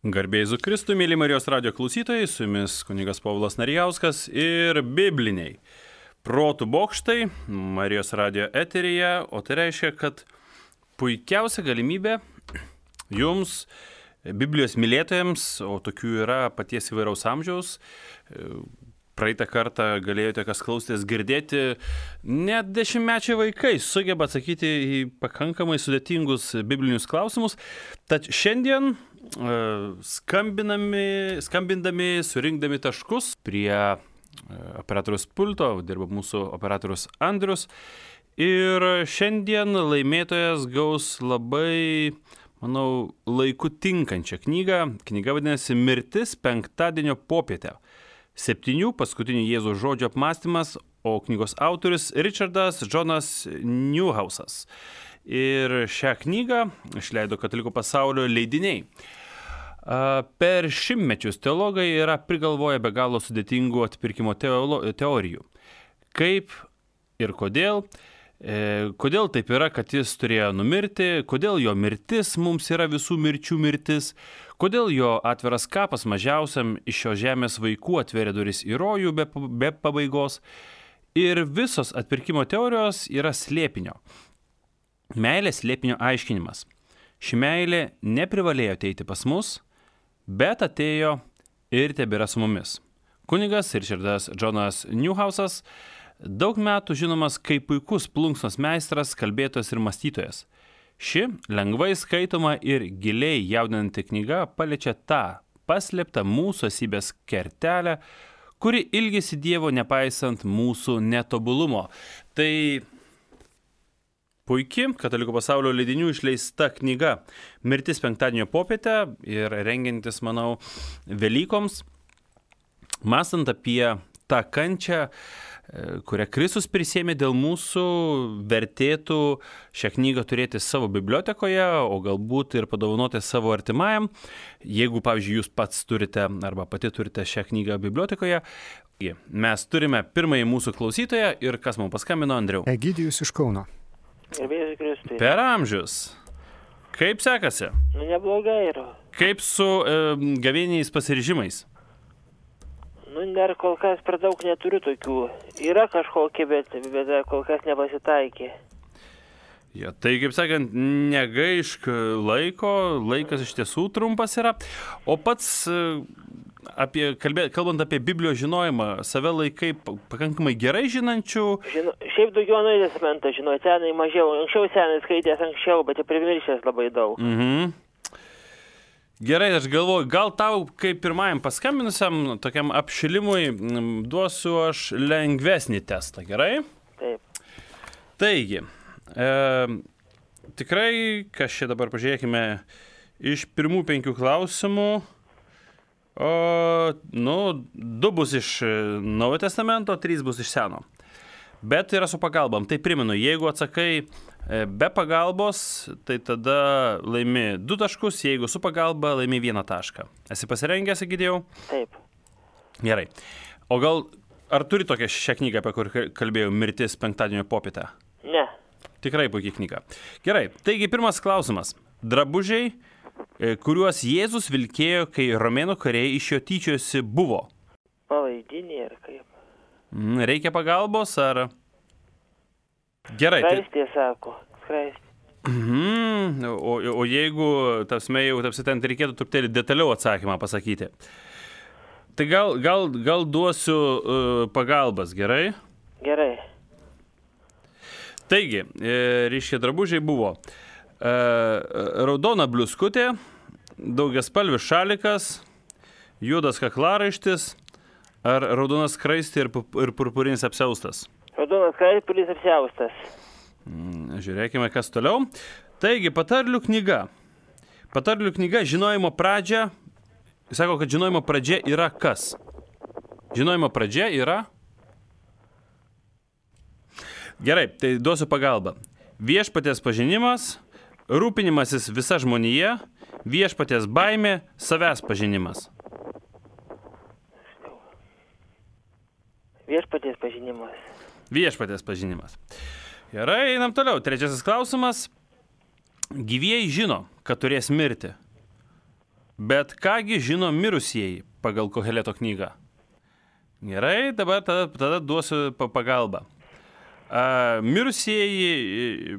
Garbė Jėzui Kristui, mėly Marijos radijo klausytojai, su jumis kunigas Povilas Narijauskas ir bibliniai protų bokštai Marijos radijo eteryje, o tai reiškia, kad puikiausia galimybė jums, Biblijos mylėtojams, o tokių yra paties įvairaus amžiaus, praeitą kartą galėjote, kas klausėtės, girdėti, net 10-mečiai vaikai sugeba atsakyti į pakankamai sudėtingus biblinius klausimus. Tad šiandien skambindami, surinkdami taškus prie operatorius pulto, dirba mūsų operatorius Andrius. Ir šiandien laimėtojas gaus labai, manau, laiku tinkančią knygą. Knyga vadinasi Mirtis penktadienio popietę. 7 paskutinių Jėzaus žodžių apmąstymas, o knygos autorius Richardas Jonas Newhausas. Ir šią knygą išleido Katalikų pasaulio leidiniai. Per šimtmečius teologai yra prigalvoję be galo sudėtingų atpirkimo teorijų. Kaip ir kodėl. Kodėl taip yra, kad jis turėjo numirti, kodėl jo mirtis mums yra visų mirčių mirtis, kodėl jo atviras kapas mažiausiam iš šios žemės vaikų atveria duris į rojų be pabaigos. Ir visos atpirkimo teorijos yra slėpinio. Meilės slėpinio aiškinimas. Ši meilė neprivalėjo ateiti pas mus, bet atėjo ir tebėra su mumis. Kunigas Richardas Jonas Newhausas daug metų žinomas kaip puikus plunksnos meistras, kalbėtojas ir mąstytojas. Ši lengvai skaitoma ir giliai jaudinanti knyga paliečia tą paslėptą mūsų esybės kertelę, kuri ilgisi Dievo nepaisant mūsų netobulumo. Tai puiki Katalikų pasaulio leidinių išleista knyga Mirtis penktadienio popietę ir rengiantis, manau, Velykoms, mąstant apie tą kančią, kurią Kristus prisėmė dėl mūsų, vertėtų šią knygą turėti savo bibliotekoje, o galbūt ir padovanoti savo artimajam. Jeigu, pavyzdžiui, jūs pats turite arba pati turite šią knygą bibliotekoje. Mes turime pirmąjį mūsų klausytoją ir kas mums paskambino, Andriau? Egidijus iš Kauno. Per amžius. Kaip sekasi? Neblogai yra. Kaip su gavėniais pasiryžimais? Dar kol kas per daug neturiu tokių. Yra kažkokie, bet kol kas nepasitaikė. Ja, tai, kaip sakant, negaišk laiko, laikas iš tiesų trumpas yra. O pats, kalbant apie Biblijos žinojimą, save laikai pakankamai gerai žinančių? Šiaip daugiau Naująjį testamentą žinau, senai mažiau. Anksčiau senai skaitęs anksčiau, bet primiršęs labai daug. Mhm. Gerai, aš galvoju, gal tau, kaip pirmajam paskambinusiam, tokiam apšilimui, duosiu aš lengvesnį testą, gerai? Taip. Taigi, tikrai, kas čia dabar pažiūrėkime, iš pirmų 5 klausimų, 2 bus iš Naujojo testamento, 3 bus iš Seno. Bet yra su pagalbom. Tai primenu, jeigu atsakai be pagalbos, tai tada laimi 2 taškus, jeigu su pagalba laimi 1 tašką. Esi pasirengęs, Egidijau? Taip. Gerai. O gal, ar turi tokią šią knygą, apie kur kalbėjau, Mirtis penktadienio popietę? Ne. Tikrai puikiai knyga. Gerai, taigi pirmas klausimas. Drabužiai, kuriuos Jėzus vilkėjo, kai romėnų kariai iš jo tyčiojosi, buvo? Palaidinė ir kaip? Reikia pagalbos, ar? Gerai. Skraistė, sako. Skraistė. O jeigu, ten reikėtų truputėlį detaliau atsakymą pasakyti. Tai gal duosiu pagalbas, gerai? Gerai. Taigi, ryškiai drabužiai buvo raudona bliuskutė, daugiaspalvis šalikas, juodas kaklaraištis, ar raudonas skraistė ir purpurinis apsiaustas? Raudonas skraistė, purpurinis apsiaustas. Žiūrėkime, kas toliau. Taigi, patarlių knyga. Patarlių knyga žinojimo pradžia. Jis sako, kad žinojimo pradžia yra kas? Žinojimo pradžia yra? Gerai, tai duosiu pagalbą. Viešpaties pažinimas, rūpinimasis visa žmonija, viešpaties baimė, savęs pažinimas. Viešpaties pažinimas. Viešpaties pažinimas. Gerai, einam toliau. 3 klausimas. Gyvieji žino, kad turės mirti. Bet kągi žino mirusieji pagal Koheleto knygą? Gerai, dabar tada duosiu pagalbą. Mirusieji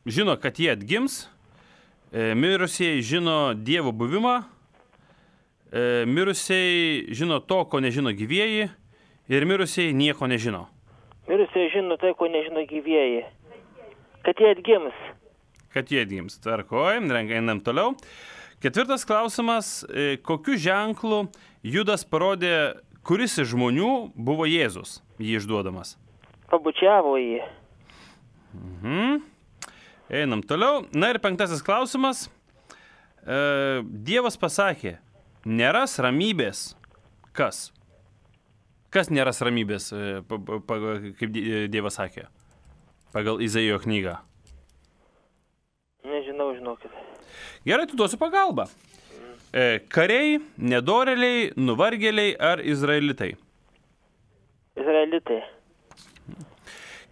žino, kad jie atgims. Mirusieji žino Dievo buvimą. Mirusieji žino to, ko nežino gyvieji. Ir mirusieji nieko nežino. Mirusieji žino tai, ko nežino gyvieji. Kad jie atgims. Kad jie atgims. Tvarkoj, einam toliau. 4 klausimas. Kokiu ženklu Judas parodė, kuris iš žmonių buvo Jėzus, jį išduodamas? Pabučiavo jį. Einam toliau. Na ir 5 klausimas. Dievas pasakė, neras ramybės. Kas? Kas neras ramybės, kaip Dievas sakė? Pagal Izaijo knygą. Nežinau, žinokit. Gerai, tu duosiu pagalbą. Kariai, nedorėliai, nuvargėliai ar izraelitai? Izraelitai.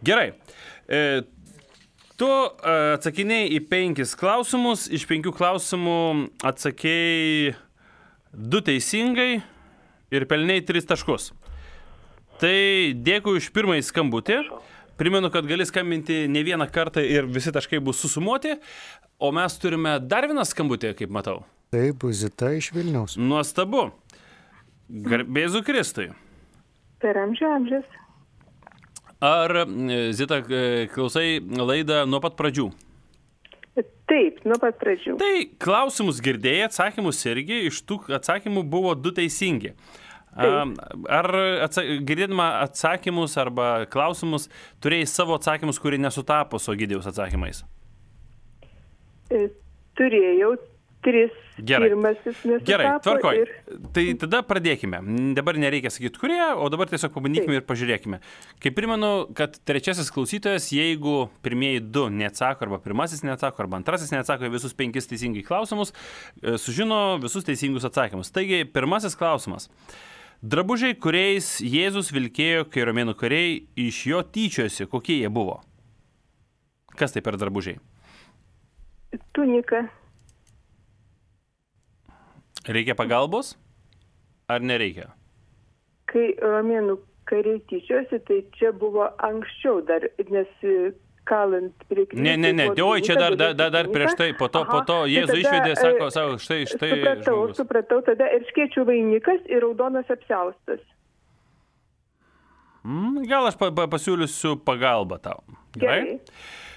Gerai. Tu atsakinėjai į 5 klausimus. Iš 5 klausimų atsakėjai 2 teisingai ir pelnėjai 3 taškus. Tai dėkui už pirmąjį skambutį. Primenu, kad gali skambinti ne vieną kartą ir visi taškai bus susumuoti. O mes turime dar vieną skambutį, kaip matau. Taip, Zita iš Vilniaus. Nuostabu. Garbėzu Kristui. Per amžius. Ar, Zita, klausai laidą nuo pat pradžių? Taip, nuo pat pradžių. Tai klausimus girdėjai, atsakymus irgi, iš tų atsakymų buvo 2 teisingi. Ar girdėdama atsakymus arba klausimus turėjai savo atsakymus, kurie nesutapo su Egidijaus atsakymais? Turėjau 3. Gerai. Pirmasis nesutapo. Gerai, tvarkoj. Tai tada pradėkime. Dabar nereikia sakyti, kurie, o dabar tiesiog pabandykime ir pažiūrėkime. Kaip primenu, kad 3 klausytojas, jeigu pirmieji 2 neatsako, arba pirmasis neatsako, arba antrasis neatsako į visus 5 teisingai klausimus, sužino visus teisingus atsakymus. Taigi, pirmasis klausimas. Drabužiai, kuriais Jėzus vilkėjo, kai romėnų kariai iš jo tyčiojosi, kokie jie buvo? Kas tai per drabužiai? Tunika. Reikia pagalbos? Ar nereikia? Kai romėnų kariai tyčiojosi, tai čia buvo anksčiau dar, nes kalant prie kryžiaus. Ne, oi, čia dar prieš tai, po to Jėzų išvedė, sako, štai žmogus. Supratau, tada erškėčių vainikas ir raudonas apsiaustas. Gal aš pasiūlysiu pagalbą tau. Gerai.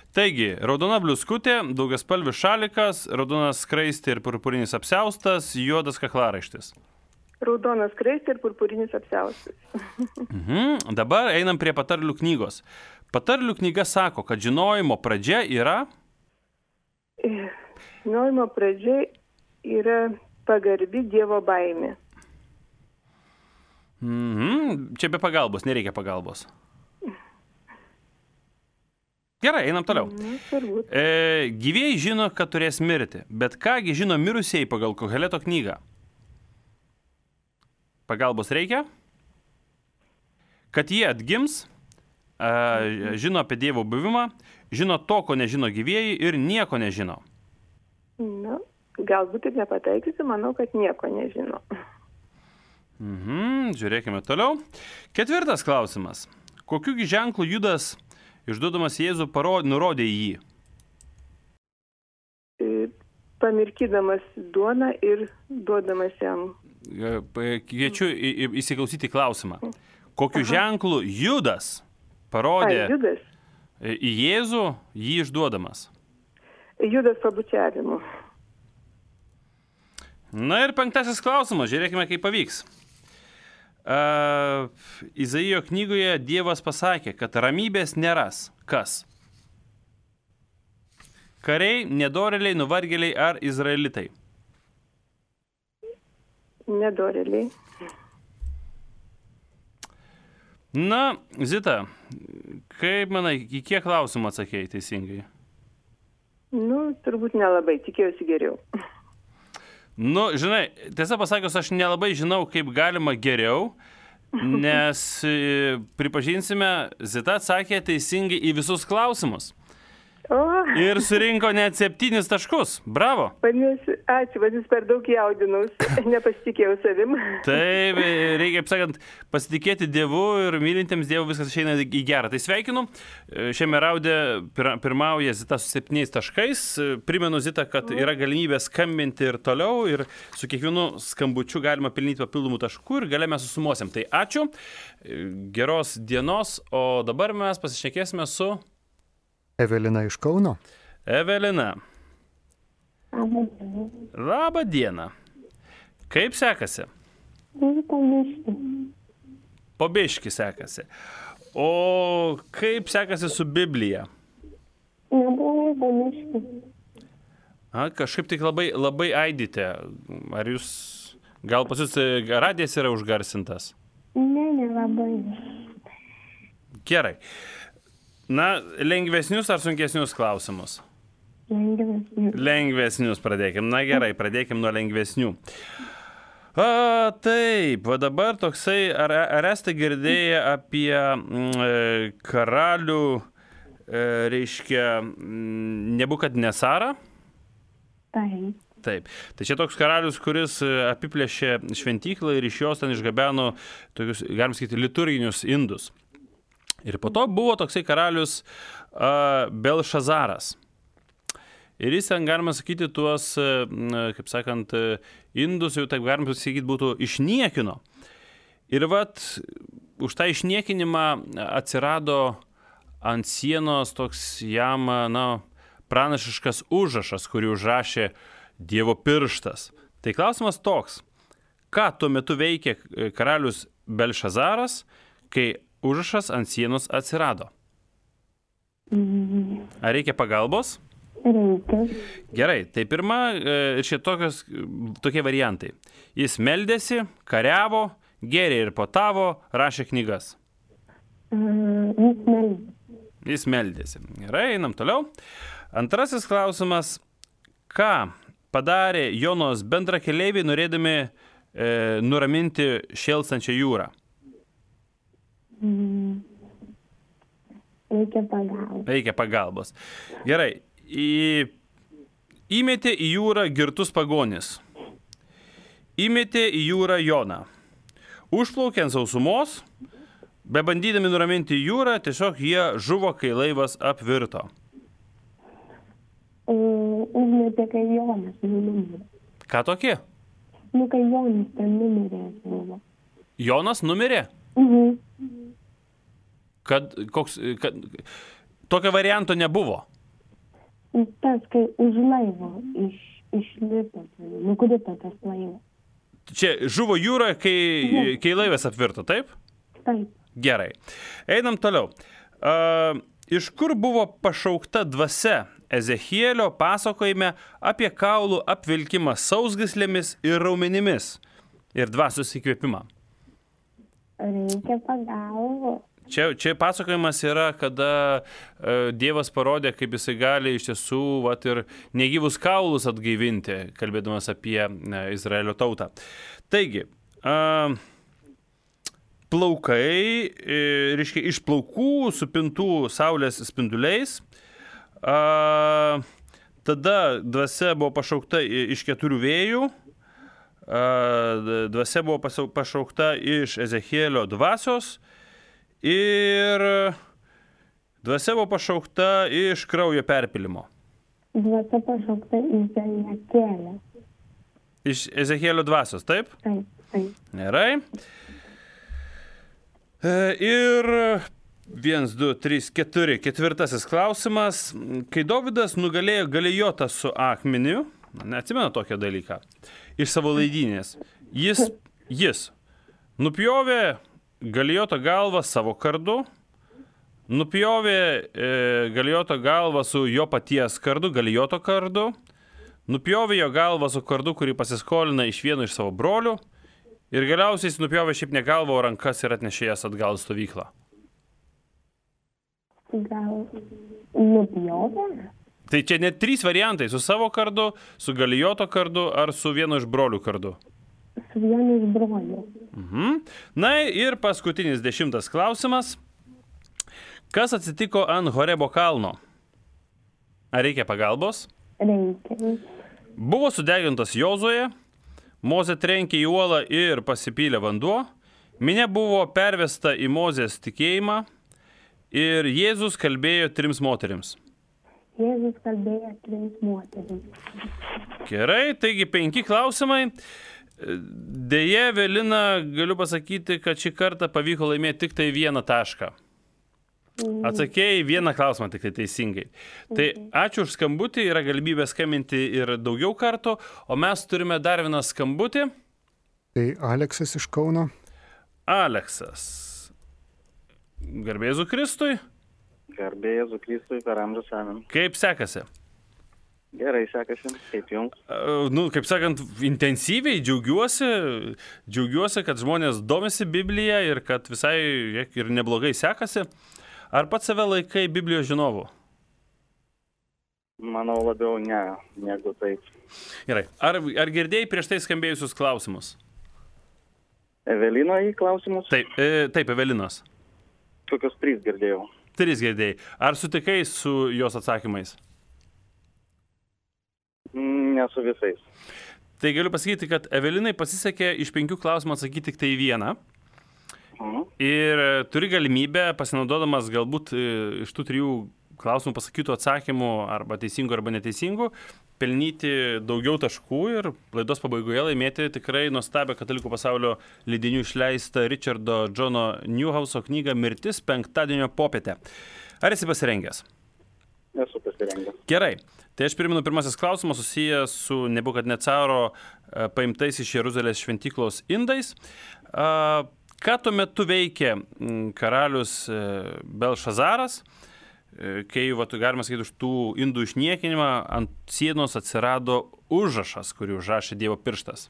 Taigi, raudona bliuskutė, daugiaspalvis šalikas, raudonas skraistė ir purpurinis apsiaustas, juodas kaklaraištis. Raudonas skraistė ir purpurinis apsiaustas. Dabar einam prie patarlių knygos. Patarlių knyga sako, kad žinojimo pradžia yra... Žinojimo pradžia yra pagarbi Dievo baimė. Čia be pagalbos, nereikia pagalbos. Gerai, einam toliau. Gyvieji žino, kad turės mirti, bet kągi žino mirusieji pagal Koheleto knygą? Pagalbos reikia? Kad jie atgims, žino apie Dievo buvimą, žino to, ko nežino gyvieji ir nieko nežino. Galbūt ir nepataikysiu, manau, kad nieko nežino. Žiūrėkime toliau. 4 klausimas. Kokiu ženklu Judas išduodamas Jėzų nurodė į jį? Pamirkydamas duoną ir duodamas jam. Kviečiu įsiklausyti klausimą. Kokiu ženklu Judas parodė į Jėzų jį išduodamas? Judas pabučiavimu. Na ir 5 klausimas. Žiūrėkime, kaip pavyks. Izaijo knygoje Dievas pasakė, kad ramybės neras. Kas? Kariai, nedorėliai, nuvargėliai ar izraelitai? Nedorėliai. Na, Zita, kaip manai, į kiek klausimų atsakėjai teisingai? Turbūt nelabai, tikėjausi geriau. Žinai, tiesą pasakius, aš nelabai žinau, kaip galima geriau, nes pripažinsime, Zita atsakė teisingai į visus klausimus. O, Ir surinko net 7 taškus. Bravo. vadinasi, ačiū, vadinasi, per daug jaudinaus, nepasitikėjau savim. Taip, reikia, kaip sakant, pasitikėti Dievu ir mylintiems Dievu viskas išeina į gerą. Tai sveikinu. Šiame raunde pirmauja Zita su 7 taškais. Primenu, Zita, kad yra galimybė skambinti ir toliau ir su kiekvienu skambučiu galima pelnyti papildomų taškų ir gale mes susumuosim. Tai ačiū, geros dienos, o dabar mes pasišnekėsime su Evelina iš Kauno. Evelina. Labą dieną. Kaip sekasi? Po biškį sekasi. O kaip sekasi su Biblija? Kažkaip tik labai aidite. Ar jūs, gal pas jūs radijas yra užgarsintas? Ne, nelabai. Gerai. Na, lengvesnius ar sunkesnius klausimus? Lengvesnius. Lengvesnius pradėkim. Na gerai, pradėkim nuo lengvesnių. Taip, o dabar toksai, ar esate girdėję apie karalių, reiškia, Nebukadnesarą? Taip. Taip. Tai čia toks karalius, kuris apiplėšė šventyklą ir iš jos ten išgabeno tokius, galim sakyti, liturginius indus. Ir po to buvo toksai karalius Belšazaras. Ir jis ten, galima sakyti, tuos, kaip sakant, indus, jau taip galima sakyti, būtų išniekino. Ir vat už tą išniekinimą atsirado ant sienos toks jam, pranašiškas užrašas, kurį užrašė Dievo pirštas. Tai klausimas toks, ką tuo metu veikė karalius Belšazaras, kai užrašas ant sienos atsirado? Ar reikia pagalbos? Reikia. Gerai, tai pirma, tokie variantai. Jis meldėsi, kariavo, gėrė ir potavo, rašė knygas. Jis meldėsi. Gerai, einam toliau. Antrasis klausimas. Ką padarė Jonos bendrakeleiviai, norėdami nuraminti šėlstančią jūrą? Reikia pagalbos. Gerai. Įmetė į jūrą girtus pagonis. Įmetė į jūrą Joną. Užplaukė ant sausumos, bebandydami nuraminti jūrą, tiesiog jie žuvo, kai laivas apvirto. Užmetė, kai Jonas numirė. Ką tokie? Kai Jonas ten numirė buvo. Jonas numirė? Tokio varianto nebuvo? Tas, kai už laivo išlipo, nukrito tas laivas. Čia žuvo jūroje, kai laivas apvirto, taip? Taip. Gerai. Einam toliau. Iš kur buvo pašaukta dvasia Ezechielio pasakojime apie kaulų apvilkimą sausgyslėmis ir raumenimis ir dvasios įkvėpimą? Reikia pagalbos. Čia pasakojimas yra, kada Dievas parodė, kaip jisai gali iš tiesų ir negyvus kaulus atgaivinti, kalbėdamas apie Izraelio tautą. Taigi, plaukai, reiškia, iš plaukų supintų saulės spinduliais, tada dvasia buvo pašaukta iš 4 vėjų, dvasia buvo pašaukta iš Ezechielio dvasios, ir dvasia buvo pašaukta iš kraujo perpylimo. Dvasia pašaukta iš Ezechielio. Iš Ezechielio dvasios, taip? Taip, taip. Gerai. Ir 1, 2, 3, 4. Ketvirtasis klausimas. Kai Dovydas nugalėjo Galijotą su akmeniu, neatsimenu tokią dalyką, iš savo laidynės, jis nupjovė Galijoto galvą savo kardu, nupjovė Galijoto galvą su jo paties kardu, Galijoto kardu, nupjovė jo galvą su kardu, kurį pasiskolina iš vieno iš savo brolių, ir galiausiai jis nupjovė šiaip ne galvą, o rankas ir atnešė jas atgal į stovyklą. Gal nupjovė? Tai čia net 3 variantai, su savo kardu, su Galijoto kardu ar su vieno iš brolių kardu. Su vienu iš brolių. Na ir paskutinis 10 klausimas. Kas atsitiko ant Horebo kalno? Ar reikia pagalbos? Reikia. Buvo sudegintas Jozuė, Mozė trenkė į uolą ir pasipylė vanduo, minia buvo pervesta į Mozės tikėjimą ir Jėzus kalbėjo 3 moterims. Jėzus kalbėjo 3 moterims. Gerai, taigi 5 klausimai. Deja, Evelina, galiu pasakyti, kad šį kartą pavyko laimėti tik tai 1 tašką. Atsakėjai 1 klausimą tik tai teisingai. Tai ačiū už skambutį, yra galimybė skambinti ir daugiau kartų, o mes turime dar 1 skambutį. Tai Aleksas iš Kauno. Aleksas. Garbė Jėzui Kristui. Garbė Jėzui Kristui per amžius amen. Kaip sekasi? Gerai sekasi, kaip jums? Kaip sakant, intensyviai džiaugiuosi, kad žmonės domisi Bibliją ir kad visai ir neblogai sekasi. Ar pats save laikai Biblijos žinovu? Manau labiau ne, negu taip. Gerai. Ar girdėjai prieš tai skambėjusius klausimus? Evelino į klausimus? Taip, Evelinos. Kokius 3 girdėjau. 3 girdėjai. Ar sutikai su jos atsakymais? Ne su visais. Tai galiu pasakyti, kad Evelinai pasisekė iš 5 klausimų atsakyti tik tai 1. Ir turi galimybę, pasinaudodamas galbūt iš tų 3 klausimų pasakytų atsakymų arba teisingų arba neteisingų, pelnyti daugiau taškų ir laidos pabaigoje laimėti tikrai nuostabią katalikų pasaulio leidinių išleistą Richardo Johno Newhouso knygą Mirtis penktadienio popietę. Ar esi pasirengęs? Esu pasirengęs. Gerai. Tai aš primenu, pirmasis klausimas susijęs su Nebukadnecaro paimtais iš Jeruzalės šventyklos indais. Ką tuo metu veikė karalius Belšazaras, kai, galima sakyti, už tų indų išniekinimą ant sienos atsirado užrašas, kurį užrašė Dievo pirštas?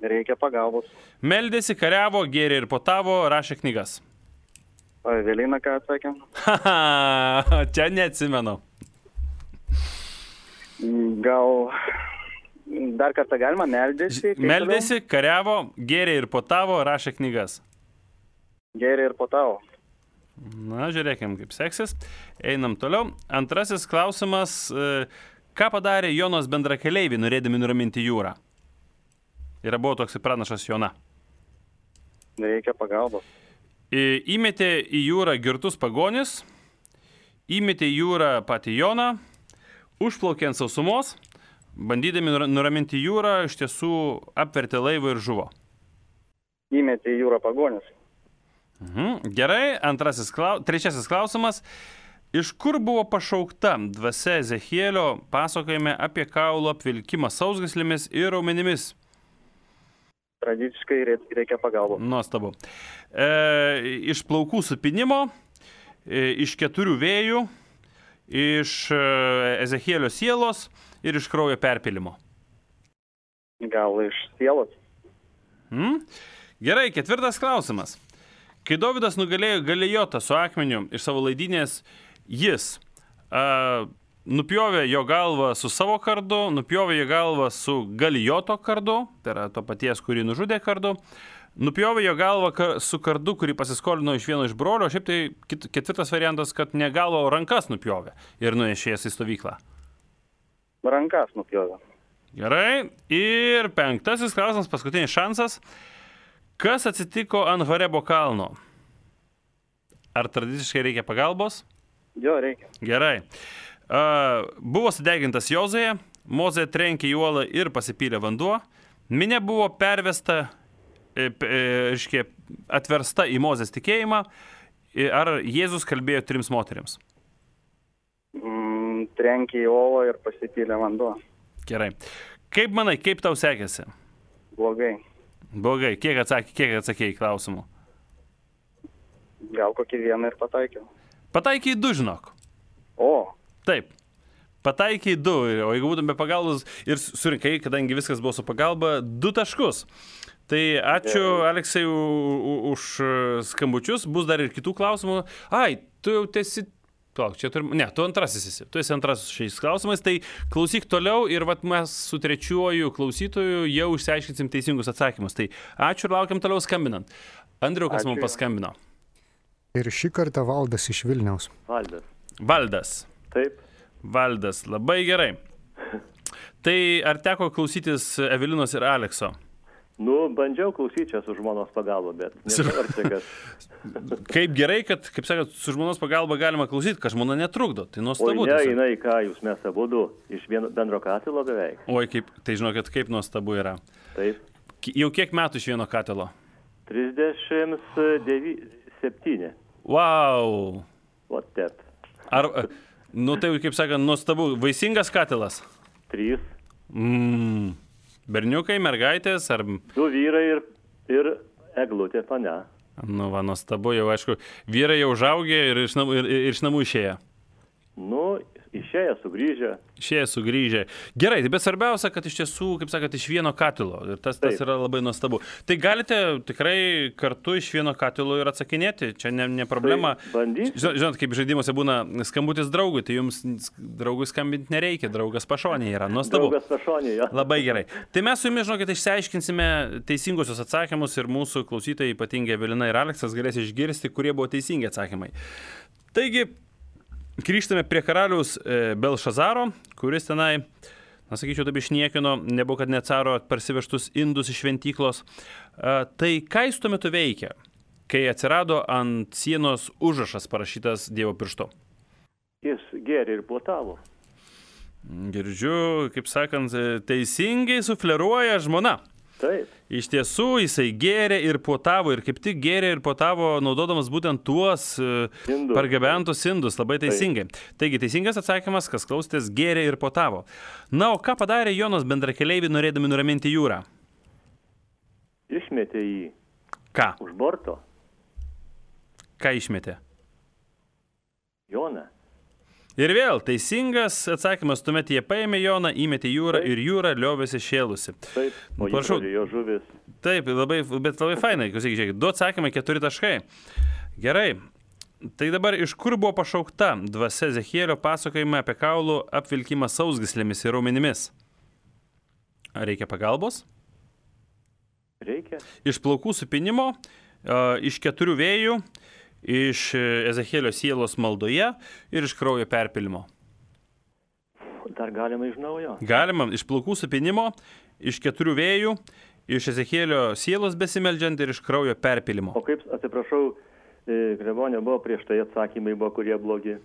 Reikia pagalbos. Meldėsi, kariavo, gėrė ir potavo, rašė knygas. O Evelina ką atsakė? Čia neatsimenu. Gal dar kartą galima meldėsi? Meldėsi, kariavo, gėrė ir potavo, rašė knygas. Gėrė ir potavo. Na, žiūrėkim, kaip seksis. Einam toliau. Antrasis klausimas. Ką padarė Jonos bendrakeleiviai, norėdami nuraminti jūrą? Ir buvo toks pranašas Jona. Reikia pagalbos. Įmetė į jūrą girtus pagonis, įmetė į jūrą patį Joną, užplaukė ant sausumos, bandydami nuraminti jūrą, iš tiesų apvertė laivą ir žuvo. Įmetė į jūrą pagonis. Gerai, trečiasis klausimas. Iš kur buvo pašaukta dvasia Ezechielio pasakojime apie kaulų apvilkimą sausgyslėmis ir raumenimis? Tradiciškai reikia pagalbos. Nuostabu. Iš plaukų supinimo, iš 4 vėjų, iš Ezechielio sielos ir iš kraujo perpylimo. Gal iš sielos? Gerai, 4 klausimas. Kai Dovydas nugalėjo Galijotą su akmeniu iš savo laidynės, jis nupjovė jo galvą su savo kardu, nupjovė jo galvą su Galijoto kardu, tai yra to paties, kurį nužudė kardu, nupjovė jo galvą su kardu, kurį pasiskolino iš vieno iš brolio, o šiaip tai 4 variantas, kad ne galvą, o rankas nupjovė ir nunešė jas į stovyklą. Rankas nupjovė. Gerai. Ir 5 klausimas, paskutinis šansas. Kas atsitiko ant Horebo kalno? Ar tradiciškai reikia pagalbos? Jo, reikia. Gerai. Buvo sudegintas Jozuė, Mozė trenkė į uolą ir pasipylė vanduo. Minia buvo pervesta, atversta į Mozės tikėjimą. Ar Jėzus kalbėjo 3 moterims? Trenkė į uolą ir pasipylė vanduo. Gerai. Kaip manai, kaip tau sekėsi? Blogai. Blogai. Kiek atsakėjai klausimų? Gal kokį 1 ir pataikiau. Pataikiai 2, žinok. O. Taip. Pataikiai 2, o jeigu būtum be pagalbos ir surinkai, kadangi viskas buvo su pagalba, 2 taškus. Tai ačiū, Aleksai, už skambučius. Bus dar ir kitų klausimų. Ai, tu jau esi... tu antrasis esi. Tu esi antrasis šiais klausimais. Tai klausyk toliau ir mes su trečiuoju klausytoju jau išsiaiškinsim teisingus atsakymus. Tai ačiū ir laukiam toliau skambinant. Andriau, kas mums paskambino? Ir šį kartą Valdas iš Vilniaus. Valdas. Valdas. Taip. Valdas, labai gerai. Tai ar teko klausytis Evelinos ir Alekso? Nu, bandžiau klausyti čia su žmonos pagalba, bet nežinau, ar čia kas. Kaip gerai, kad, kaip sakot, su žmonos pagalba galima klausyti, kad žmona netrukdo. Tai nuostabu. O ne, jinai, ką jūs mes abudu iš bendro katilo beveik. Oi, tai žinokit, kaip nuostabu yra. Taip. Jau kiek metų iš vieno katilo? 37. Wow. O tep. Ar, nu tai, kaip sakant, nuostabu. Vaisingas katilas? 3. Berniukai, mergaitės ar... 2 vyrai ir eglutė pane. Nu, va, nuostabu, jau aišku, vyrai jau užaugė ir iš namų išėję. Nu, išėję, sugrįžę. Gerai, bet svarbiausia, kad iš tiesų, kaip sakot, iš vieno katilo. Ir tas yra labai nuostabu. Tai galite tikrai kartu iš vieno katilo ir atsakinėti. Čia ne problema. Tai bandyti. Žinot, kaip žaidimuose būna skambutis draugui, tai jums draugui skambinti nereikia. Draugas pašonėje yra. Nuostabu. Draugas pašonėje. Labai gerai. Tai mes su jumis, žinokit, išsiaiškinsime teisingusius atsakymus ir mūsų klausytojai, ypatingai Evelina ir Aleksas, galės išgirsti, kurie buvo teisingi atsakymai. Taigi, grįžtame prie karaliaus Belšazaro, kuris tenai, sakyčiau, taip išniekino Nebukadnecaro parsivežtus indus iš šventyklos. Tai ką jis tuo metu veikia, kai atsirado ant sienos užrašas parašytas Dievo pirštu? Jis gėrė ir puotavo. Girdžiu, kaip sakant, teisingai sufleruoja žmona. Taip. Iš tiesų, jisai gėrė ir puotavo, ir kaip tik gėrė ir puotavo, naudodamas būtent tuos pargabentus indus, labai teisingai. Taigi, teisingas atsakymas, kas klausėtės, gėrė ir puotavo. Na, o ką padarė Jonos bendrakeleiviai, norėdami nuraminti jūrą? Išmetė jį. Ką? Už borto. Ką išmetė? Joną. Ir vėl, teisingas atsakymas, tuomet jie paėmė Joną, įmetė jūrą ir jūra liovėsi šėlusi. Taip, o jo žuvis. Taip, bet labai fainai, žiūrėkit, 2 atsakymai, 4 taškai. Gerai, tai dabar iš kur buvo pašaukta dvasia Ezechielio pasakojime apie kaulų apvilkimą sausgyslėmis ir raumenimis? Ar reikia pagalbos? Reikia. Iš plaukų supinimo, iš 4 vėjų, iš Ezechielio sielos maldoje ir iš kraujo perpilimo. Dar galima iš naujo. Galima iš plaukų supinimo, iš 4 vėjų, iš Ezechielio sielos besimeldžiant ir iš kraujo perpilimo. O kaip, atsiprašau, Klebonė, buvo prieš tai atsakymai, buvo kurie blogi?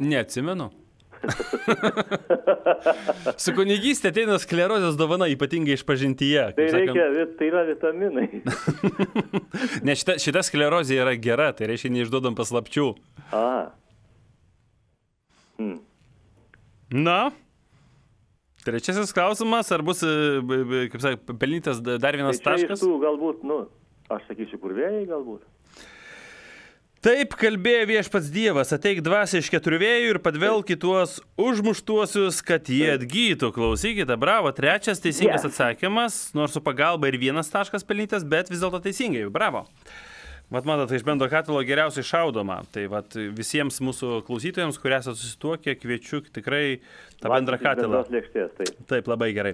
Neatsimenu. Su kunigystė ateina sklerozės dovana, ypatingai išpažintyje. Tai yra vitaminai. Ne, šita sklerozė yra gera, tai reiškia neišduodam paslapčių. Na, trečiasis klausimas, ar bus, kaip sakai, pelnytas dar vienas taškas? Tai čia iš tų galbūt, aš sakysiu, kur vėjai galbūt. Taip kalbėjo viešpats Dievas, ateik dvasią iš 4 vėjų ir padvelk į tuos užmuštuosius, kad jie atgytų. Klausykite, bravo, trečias teisingas atsakymas, nors su pagalba ir 1 taškas pelnytas, bet vis dėlto teisingai, bravo. Vat matot, iš bendro katilo geriausiai šaudoma. Tai vat visiems mūsų klausytojams, kurie esate susituokę, kviečiu tikrai tą bendrą katilą. Taip, labai gerai.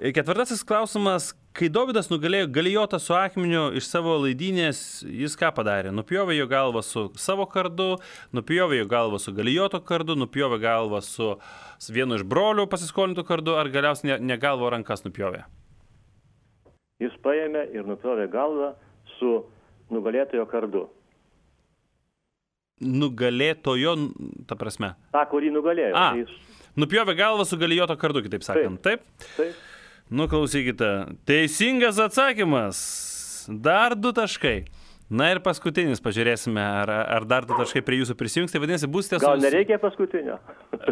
4 klausimas. Kai Dovydas nugalėjo Galijotą su akmeniu iš savo laidynės, jis ką padarė? Nupjovė jo galvą su savo kardu, nupjovė jo galvą su Galijoto kardu, nupjovė galvą su vienu iš brolių pasiskolintų kardu, ar galiausiai ne galvo rankas nupjovė? Jis paėmė ir nupjovė galvą su nugalėtojo kardu. Nugalėtojo, ta prasme? Ta, kurį nugalėjo. Nupjovė galvą su Galijoto kardu, kitaip sakant. Taip? Taip. Nu, klausykite. Teisingas atsakymas. Dar 2 taškai. Na ir paskutinis, pažiūrėsime, ar dar 2 taškai prie jūsų prisijungs. Tai vadinasi, būsite... Gal nereikia paskutinio?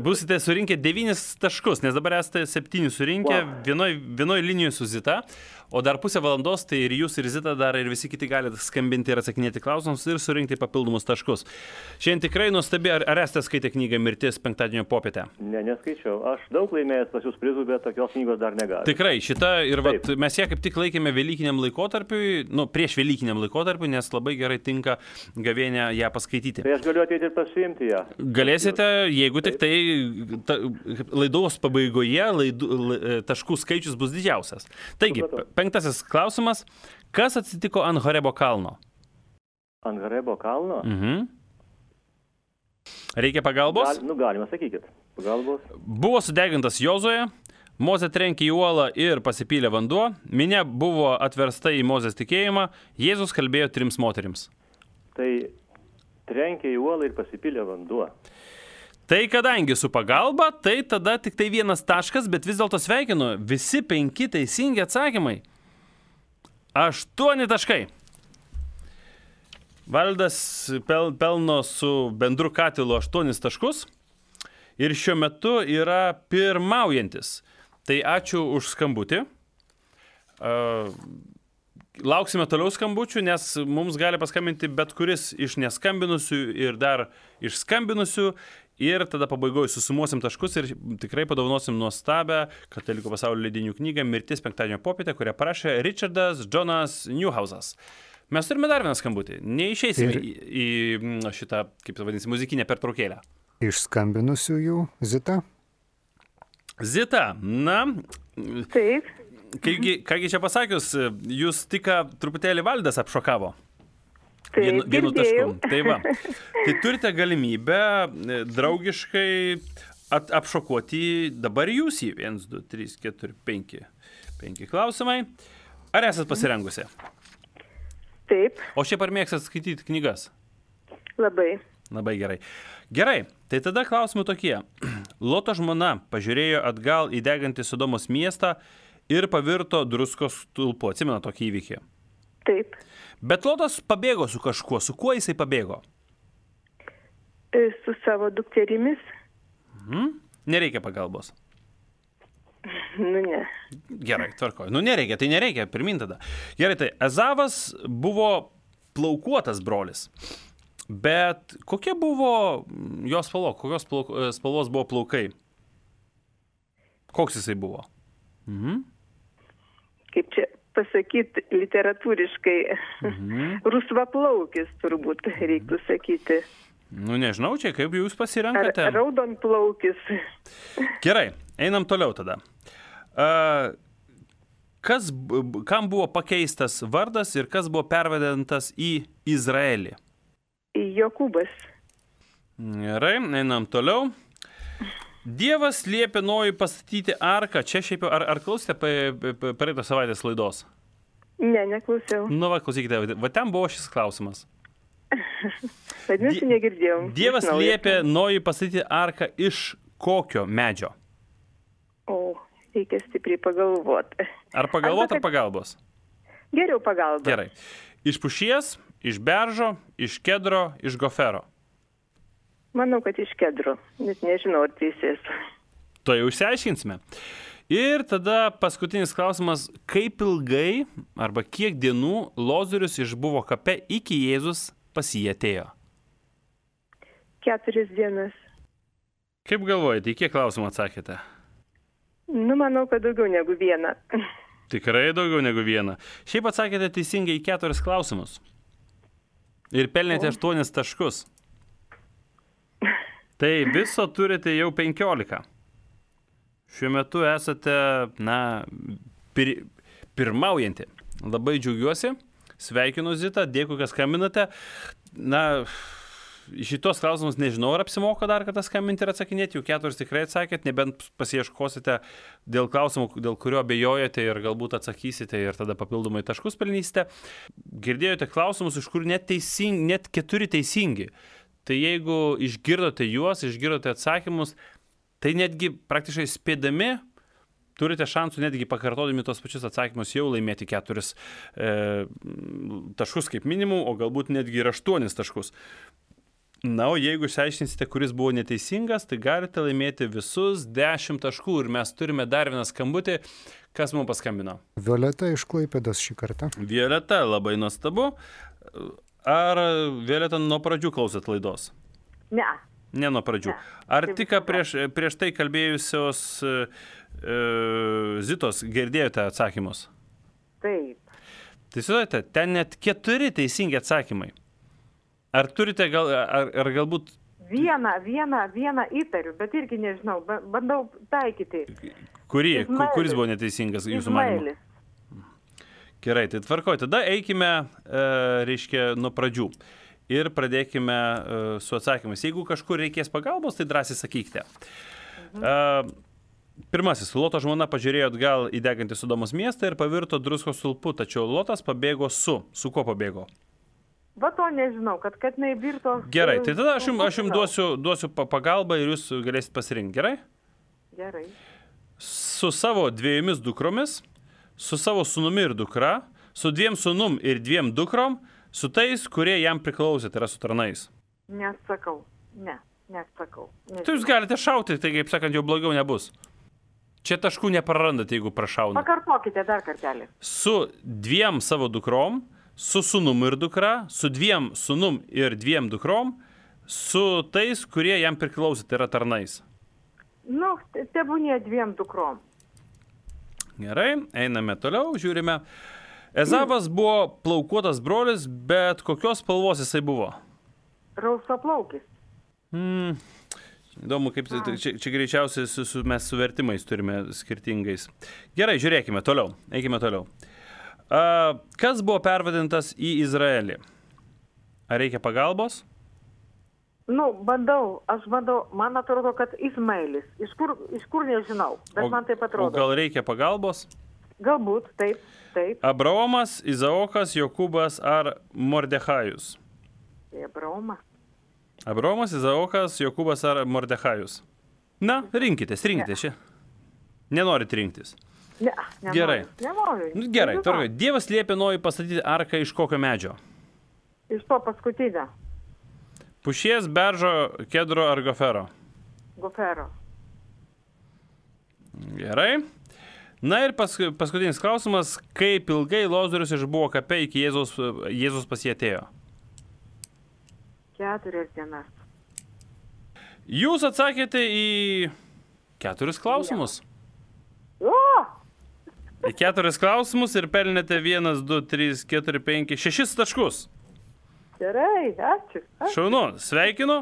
Būsite surinkę 9 taškus, nes dabar esate 7 surinkę, vienoj linijoje su Zita, o dar pusę valandos, tai ir jūs, ir Zita, dar ir visi kiti galite skambinti ir atsakinėti klausimus ir surinkti papildomus taškus. Šiandien tikrai nuostabi, ar esate skaitę knygą Mirtis penktadienio popietę? Ne, neskaičiau. Aš daug laimėjęs pas jūs prizų, bet tokios knygos dar negaliu. Tikrai, šita ir mes ją kaip tik laikėme velykiniam laikotarpiui, prieš velykiniam laikotarpiui, nes labai gerai tinka gavėnę ją paskaityti. Tai aš galiu ateiti ir pasiimti ją. Galėsite, jeigu tik tai laidos pabaigoje taškų skaičius bus didžiausias. Taigi, 5 klausimas. Kas atsitiko ant Horebo kalno? Ant Horebo kalno? Reikia pagalbos? Galima, sakykit. Pagalbos. Buvo sudegintas Jozuė, Mozė trenkė į uolą ir pasipylė vanduo, minia buvo atversta į Mozės tikėjimą, Jėzus kalbėjo 3 moterims. Tai trenkė į uolą ir pasipylė vanduo. Tai kadangi su pagalba, tai tada tik tai 1 taškas, bet vis dėlto sveikinu, visi 5 teisingi atsakymai. 8 taškai. Valdas pelno su bendru katilu 8 taškus ir šiuo metu yra pirmaujantis. Tai ačiū už skambutį. Lauksime toliau skambučių, nes mums gali paskambinti bet kuris iš neskambinusių ir dar iš skambinusių. Ir tada pabaigoje susumuosim taškus ir tikrai padovanosim nuostabę Katalikų pasaulio leidinių knygą Mirtis penktadienio popietę, kurią parašė Richardas Jonas Newhausas. Mes turime dar vieną skambutį. Neišeisime į šitą, kaip tai vadinasi, muzikinę pertraukėlę. Iš skambinusiųjų Zita. Zita, na, Taip. kągi čia pasakius, jūs tik truputėlį Valdas apšokavo. Taip, Vienu tašku. girdėjau. Tai va. Tai turite galimybę draugiškai apšokuoti dabar jūs į 1, 2, 3, 4, 5. 5 klausimai. Ar esat pasirengusi? Taip, O šiaip ar mėgstat skaityti knygas? labai. Labai gerai. Gerai, tai tada klausimai tokie. Loto žmona pažiūrėjo atgal į degantį Sodomos miestą ir pavirto druskos stulpu. Atsimena tokį įvykį. Taip. Bet Lotas pabėgo su kažkuo. Su kuo jisai pabėgo? Su savo dukterimis? Nereikia pagalbos. Nu, ne. Gerai, tvarkoju. Nu nereikia, tai nereikia, pirmin tada. Gerai, tai Ezavas buvo plaukuotas brolis. Bet kokia buvo jos spalva? Kokios spalvos buvo plaukai? Koks jisai buvo? Kaip čia pasakyti literatūriškai, rusvaplaukis turbūt reiktų sakyti. Nu nežinau, čia kaip jūs pasirenkate. Ar raudonplaukis. Gerai, einam toliau tada. Kam buvo pakeistas vardas ir kas buvo pervadintas į Izraelį? Jokūbas. Gerai, einam toliau. Dievas liepė Nojui pastatyti arką. Čia šiaip jau, ar klausėte praeitą savaitės laidos? Ne, neklausiau. Nu, va, klausykite, va ten buvo šis klausimas. Vadinasi, negirdėjau. Dievas liepė Nojui pastatyti arką iš kokio medžio? O, reikia stipriai pagalvoti. Ar pagalvot, ar pagalbos? Geriau pagalba. Gerai. Iš pušies, iš beržo, iš kedro, iš gofero. Manau, kad iš kedro. Net nežinau, ar teisės. To jau išsiaiškinsime. Ir tada paskutinis klausimas. Kaip ilgai arba kiek dienų Lozorius išbuvo kape iki Jėzus pas jį atėjo? 4 dienas. Kaip galvojate, į kiek klausimų atsakėte? Nu, manau, kad daugiau negu 1. Tikrai daugiau negu 1. Šiaip atsakėte teisingai į 4 klausimus. Ir pelnėte 8 taškus. Tai viso turite jau 15. Šiuo metu esate, pirmaujanti. Labai džiaugiuosi. Sveikinu Zitą, dėkui, kad skambinate. Šitos klausimus nežinau, ar apsimoka dar kartą skambinti ir atsakinėti. Jau 4 tikrai atsakėt, nebent pasiieškosite dėl klausimų, dėl kurio abejojate ir galbūt atsakysite ir tada papildomai taškus pelnysite. Girdėjote klausimus, iš kur net 4 teisingi. Tai jeigu išgirdote juos, išgirdote atsakymus, tai netgi praktiškai spėdami turite šansų netgi pakartodami tos pačius atsakymus jau laimėti 4 taškus kaip minimum, o galbūt netgi ir 8 taškus. Na, o jeigu išsiaiškinsite, kuris buvo neteisingas, tai galite laimėti visus 10 taškų ir mes turime dar vieną skambutį. Kas mums paskambino? Violeta iš Klaipėdos šį kartą. Violeta, labai nuostabu. Ar Violeta nuo pradžių klausėt laidos? Ne. Ne nuo pradžių. Ar tik prieš tai kalbėjusios Zitos girdėjote atsakymus? Taip. Tai sudarėte, ten net 4 teisingi atsakymai. Ar turite, ar galbūt... Vieną įtariu, bet irgi nežinau, bandau taikyti. Kuris buvo neteisingas jūsų manymu? Izmaelis. Gerai, tai tvarkoj. Tada eikime, reiškia, nuo pradžių. Ir pradėkime su atsakymais. Jeigu kažkur reikės pagalbos, tai drąsiai sakykite. Pirmasis. Loto žmona pažiūrėjo atgal į degantį Sodomos miestą ir pavirto druskos stulpu, tačiau Lotas pabėgo su. Su kuo pabėgo? Va to nežinau, kad neįvirto. Gerai, tai tada aš jums duosiu pagalbą ir jūs galėsite pasirinkti. Gerai? Gerai. Su savo 2 dukromis, su savo sūnumi ir dukra, su 2 sūnum ir 2 dukrom, su tais, kurie jam priklausė, tai yra su tarnais. Nesakau. Nesakau. Tai jūs galite šauti, tai kaip sakant, jau blogiau nebus. Čia taškų neprarandate, jeigu prašauna. Pakartokite dar kartelį. Su 2 savo dukrom, su sūnum ir dukra, su 2 sūnum ir 2 dukrom, su tais, kurie jam priklausė, tai yra tarnais. Nu, tebūnie 2 dukrom. Gerai, einame toliau, žiūrime. Ezavas buvo plaukuotas brolis, bet kokios spalvos jisai buvo? Rausaplaukis. Įdomu, kaip čia greičiausiai mes su vertimais turime skirtingais. Gerai, žiūrėkime toliau, eikime toliau. Kas buvo pervadintas į Izraelį? Ar reikia pagalbos? Nu, aš bandau, man atrodo, kad Ismailis. Iš kur nežinau, bet man taip atrodo. O gal reikia pagalbos? Galbūt, taip. Abraomas, Izaokas, Jokūbas ar Mordechajus? Abraomas, Izaokas, Jokūbas ar Mordechajus? Na, rinkitės čia. Nenorit rinktis? Ne, gerai. Nenoriu. Gerai, tvarkoj. Dievas liepė Nojui pastatyti arką iš kokio medžio? Iš to paskutinio. Pušies, beržo, kedro ar gofero? Gofero. Gerai. Na ir paskutinis klausimas. Kaip ilgai Lozorius išbuvo kape iki Jėzus pas jį atėjo? 4 dienas. Jūs atsakėte į 4 klausimus. Į 4 klausimus ir pelnėte 1, 2, 3, 4, 5, 6 taškus. Gerai, ačiū. Šaunu, sveikinu.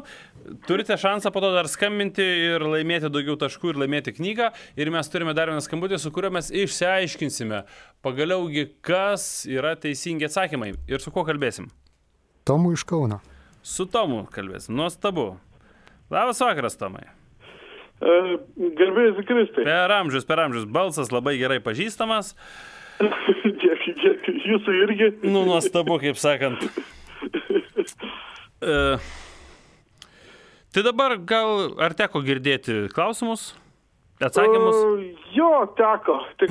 Turite šansą po to dar skambinti ir laimėti daugiau taškų ir laimėti knygą. Ir mes turime dar vieną skambutį, su kuriuo mes išsiaiškinsime pagaliaugi, kas yra teisingi atsakymai. Ir su kuo kalbėsim? Tomu iš Kauno. Su Tomu kalbėsim. Nuostabu. Labas vakaras, Tomai. Garbėjus Kristai. Per amžius. Balsas labai gerai pažįstamas. Jūsų irgi. Nu, nuostabu, kaip sakant. Tai dabar gal ar teko girdėti klausimus, atsakymus? Jo, teko. Tik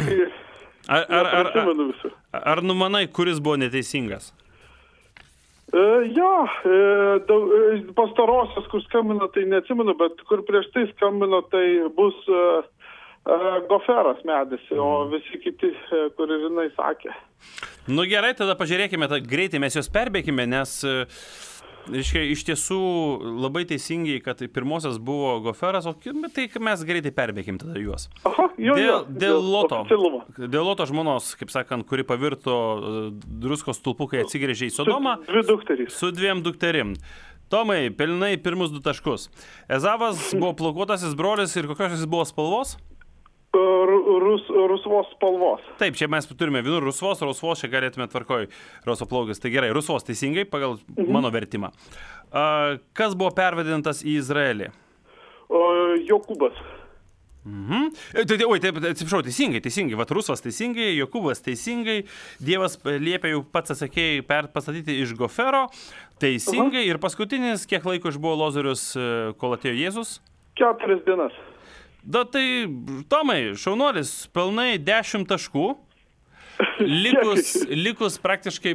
ar numanai, kuris buvo neteisingas? Jo, pastarosios, kur skambino, tai neatsimenu, bet kur prieš tai skambino, tai bus goferas medis, o visi kiti, kur jinai sakė. Nu gerai, tada pažiūrėkime, greitai mes juos perbėkime, nes iš tiesų labai teisingai, kad pirmosios buvo goferas, o tai mes greitai perbėkim tada juos. Aha, dėl Loto žmonos, kaip sakant, kuri pavirto druskos stulpu, kai atsigrėžė į Sodomą. Su 2 dukterim. Tomai, pelnai pirmus 2 taškus. Ezavas buvo plaukuotasis brolis ir kokios jis buvo spalvos? Rusvos spalvos. Taip, čia mes turime vienur rusvos, čia galėtume tvarkoj rusvaplaukis. Tai gerai, rusvos teisingai pagal mano vertimą. Kas buvo pervadintas į Izraelį? Jokūbas. Atsiprašau, teisingai. Vat rusvas teisingai, Jokūbas teisingai. Dievas liepė jau pats atsakėjai pastatyti iš gofero. Teisingai. Ir paskutinis, kiek laiko išbuvo Lozorius, kol atėjo Jėzus? 4 dienas. Da, tai, Tomai, šaunuolis, pelnai 10 taškų, likus praktiškai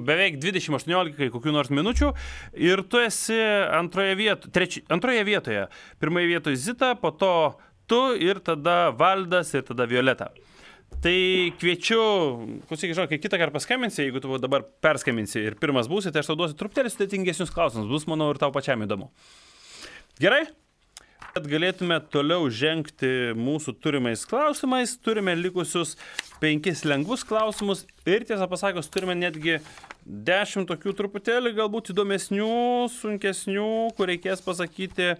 beveik 20-18 kokių nors minučių ir tu esi antroje vietoje. Pirmoje vietoje Zita, po to tu ir tada Valdas ir tada Violeta. Tai kviečiu, kai kitą kartą paskambinsi, jeigu tu dabar perskambinsi ir pirmas būsi, tai aš tau duosiu truputėlį sudėtingesnius klausimus, bus, manau, ir tau pačiam įdomu. Gerai? Kad galėtume toliau žengti mūsų turimais klausimais, turime likusius 5 lengvus klausimus ir tiesą pasakius, turime netgi 10 tokių truputėlį galbūt įdomesnių, sunkesnių, kur reikės pasakyti,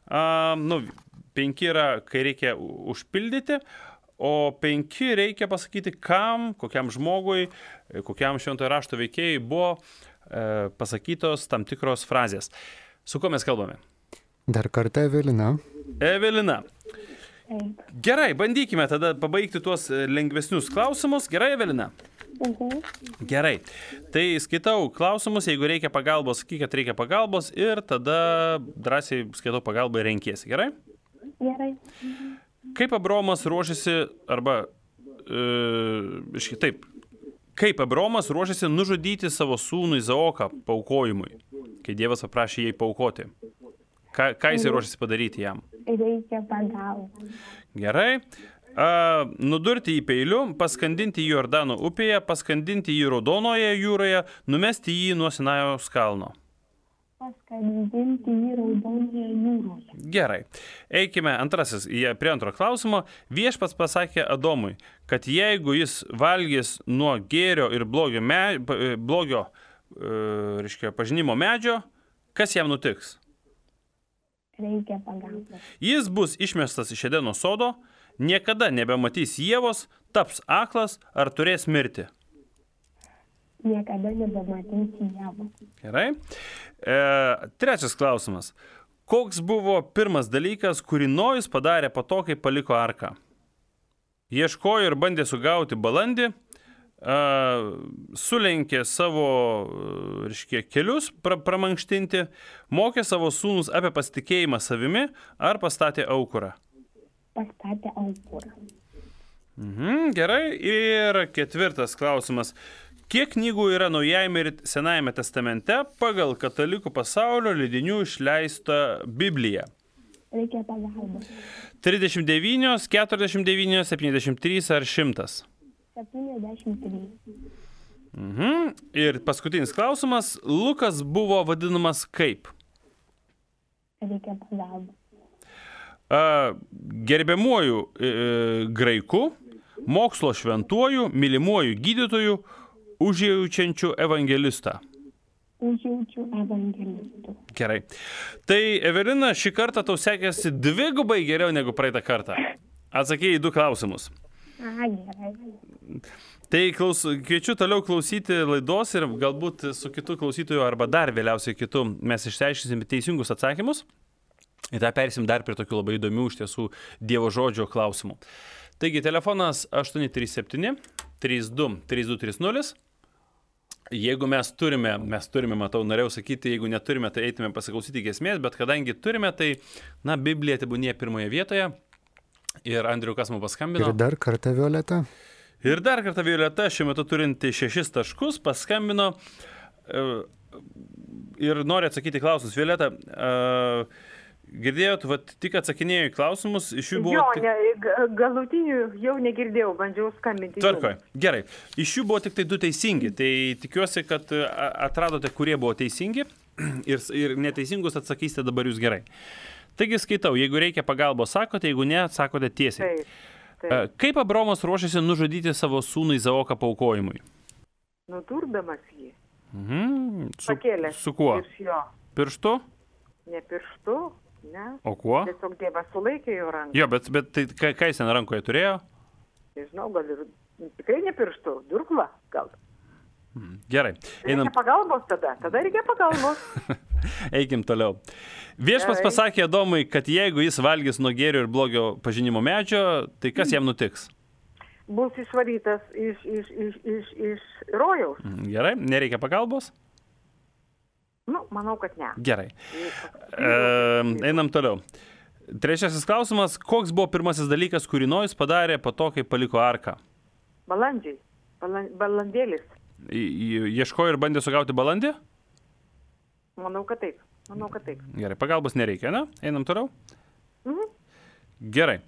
5 yra, kai reikia užpildyti, o 5 reikia pasakyti, kam, kokiam žmogui, kokiam šventojo rašto veikėjai buvo pasakytos tam tikros frazės. Su kuo mes kalbame? Dar kartą Evelina. Evelina. Taip. Gerai, bandykime tada pabaigti tuos lengvesnius klausimus. Gerai, Evelina? Gerai. Tai skaitau klausimus, jeigu reikia pagalbos, sakyk, kad reikia pagalbos ir tada drąsiai skaitau pagalbą ir renkiesi. Gerai? Gerai. Kaip Abraomas ruošiasi, arba, taip, kaip Abraomas ruošiasi nužudyti savo sūnų Izaoką paaukojimui, kai Dievas paprašė jai paaukoti? Ką jis ruošiasi padaryti jam? Reikia pagalbos. Gerai. Nudurti jį peiliu, paskandinti jį Jordano upėje, paskandinti jį Raudonoje jūroje, numesti jį nuo Sinajaus kalno. Paskandinti jį Raudonoje jūroje. Gerai. Eikime prie antro klausimo. Viešpats pasakė Adomui, kad jeigu jis valgys nuo gėrio ir blogio pažinimo medžio, kas jam nutiks? Reikia pagalbos. Jis bus išmestas iš Edeno sodo, niekada nebematys Ievos, taps aklas ar turės mirti. Niekada nebematys Ievos. Gerai. Trečias klausimas. Koks buvo pirmas dalykas, kurį Nojus padarė po to, kai paliko arką? Ieškojo ir bandė sugauti balandį, sulenkė savo kelius pramankštinti, mokė savo sūnus apie pasitikėjimą savimi ar pastatė aukurą? Pastatė aukurą. Gerai. Ir ketvirtas klausimas. Kiek knygų yra Naujajame ir Senajame testamente pagal katalikų pasaulio leidinių išleista Biblija? Reikia pagalbos. 39, 49, 73 ar 100? 73. Ir paskutinis klausimas. Lukas buvo vadinamas kaip? Reikia pagalbos. Gerbiamuoju graiku, mokslo šventuoju, mylimuoju gydytoju, užjaučiančiu evangelistą. Užjaučiu evangelistų. Gerai. Tai, Evelina, šį kartą tau sekėsi dvigubai geriau negu praeitą kartą. Atsakėjai 2 klausimus. Gerai. Tai kviečiu toliau klausyti laidos ir galbūt su kitu klausytoju arba dar vėliausiai kitu mes išsiaiškinsime teisingus atsakymus. Ir tą persim dar prie tokių labai įdomių iš tiesų Dievo žodžio klausimų. Taigi, telefonas 837 32 3230. Jeigu mes turime, matau, norėjau sakyti, jeigu neturime, tai eitume pasiklausyti giesmės, bet kadangi turime, tai, Biblija tebūnie pirmoje vietoje. Ir Andriu, kas mums paskambino? Ir dar kartą Violeta, šiuo metu turinti 6 taškus, paskambino ir nori atsakyti klausimus. Violeta, girdėjot, tik atsakinėjo į klausimus, iš jų buvo... Galutinių jau negirdėjau, bandžiau skambinti. Tvarkoj, gerai. Iš jų buvo tik tai 2 teisingi, tai tikiuosi, kad atradote, kurie buvo teisingi ir neteisingus atsakysite dabar jūs gerai. Taigi skaitau, jeigu reikia pagalbos sakote, jeigu ne, sakote tiesiai. Taip. Kaip Abraomas ruošiasi nužudyti savo sūnų Izaoką paaukojimui? Nudurdamas jį. Pakėlęs. Su kuo? Pirštu? Ne pirštu, ne. O kuo? Tiesiog Dievas sulaikė jo ranką. Jo, bet tai ką jis ten rankoje turėjo? Nežinau, gal ir tikrai ne pirštu, durkla gal. Gerai. Reikia pagalbos tada reikia pagalbos. Eikim toliau. Viešpats pasakė Adomui, kad jeigu jis valgys nuo gėrio ir blogio pažinimo medžio, tai kas jam nutiks? Bus išvarytas iš rojaus. Gerai, nereikia pagalbos? Manau, kad ne. Gerai. Einam toliau. Trečiasis klausimas. Koks buvo pirmasis dalykas, kurį Nojus padarė po to, kai paliko arką? Balandžiai. Balandėlis. Ieškojo ir bandė sugauti balandį? Manau, kad taip. Gerai, pagalbos nereikia, ne? Einam toliau? Gerai.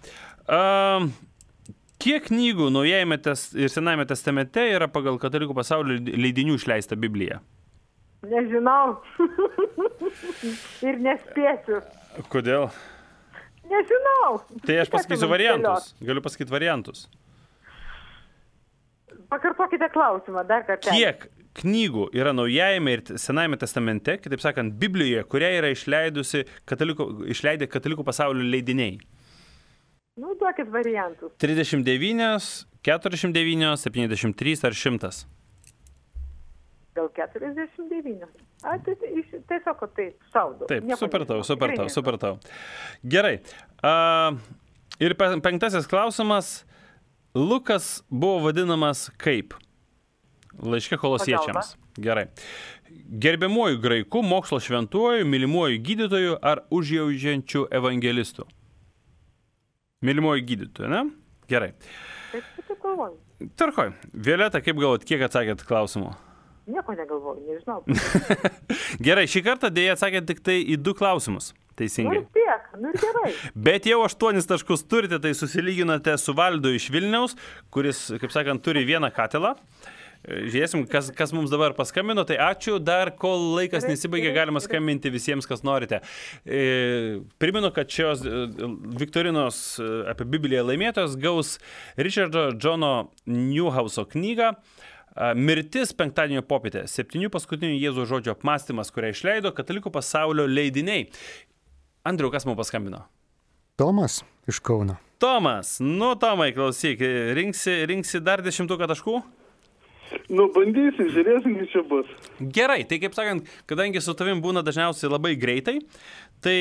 Kiek knygų Naujajame ir Senajame testamente yra pagal katalikų pasaulio leidinių išleista Biblija? Nežinau. Ir nespėsiu. Kodėl? Nežinau. Tai aš pasakysiu variantus. Galiu pasakyti variantus. Pakartokite klausimą dar kartą. Kiek knygų yra Naujajame ir Senajame testamente, kitaip sakant, Biblijoje, kurią yra išleidę katalikų pasaulio leidiniai? Duokit variantus. 39, 49, 73 ar 100? Gal 49. Tiesiog taip šaudau. Taip, supratau. Gerai. Ir 5 klausimas. Lukas buvo vadinamas kaip? Laiške Kolosiečiams. Gerai. Gerbiamuoju graiku, mokslo šventuoju, mylimuoju gydytoju ar užjaučiančiu evangelistu? Mylimuoju gydytoju, ne? Gerai. Taip galvoju. Tvarkoj. Violeta, kaip galvojat, kiek atsakėt klausimų? Nieko negalvoju, nežinau. Gerai, šį kartą dėja atsakėt tik tai į 2 klausimus. Teisingai. Nu tiek, nu ir gerai. Bet jau 8 taškus turite, tai susilyginote su Valdu iš Vilniaus, kuris, kaip sakant, turi 1 katilą. Žiūrėsim, kas mums dabar paskambino. Tai ačiū. Dar kol laikas nesibaigė, galima skambinti visiems, kas norite. Primenu, kad šios viktorinos apie Bibliją laimėtojos gaus Richardo Jono Newhouso knygą Mirtis penktadienio popietė. 7 paskutinių Jėzaus žodžio apmąstymas, kurią išleido Katalikų pasaulio leidiniai. Andriau, kas mums paskambino? Tomas iš Kauno. Tomas. Nu, Tomai, klausyk, rinksi dar 10 taškų? Nu, bandysim, žiūrėsim, kaip čia bus. Gerai, tai kaip sakant, kadangi su tavim būna dažniausiai labai greitai, tai